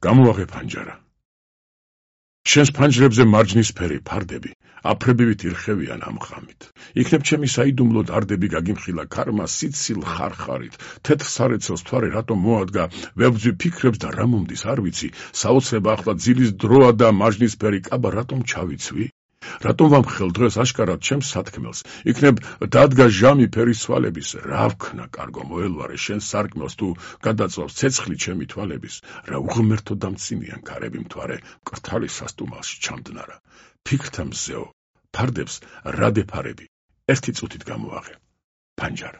გამოაღე ფანჯარა. შენს ფანჯრებზე მარჯნისფერი ფარდები აფრებივით ირხევიან ამ ღამით. იქნებ ჩემი საიდუმლო დარდები გაგიმხილა ქარმა სიცილ ხარხარით. თეთრ სარეცელს მთვარე რატომ მოადგა, ვებძვი ფიქრებს და რა მომდის არ ვიცი. საოცრება ახლა ძილის დროა და მარჯნისფერი კაბა რატომ ჩავიცვი? რატომ ვამხელ დღეს აშკარად ჩემს სათქმელს? იქნებ დადგა ჟამი ფერის თვალების. რა ვქნა კარგო მოელვარე შენს სარკმელს თუ გადაწვავს ცეცხლი ჩემი თვალების. რა უღმერთო დამცინიან ქარები მთვარე მკრთალი სასტუმალში ჩამდნარა. ფიქრთა მზეო ფარდებს რა დეფარები ერთი წუთით გამოაღე. ფანჯარა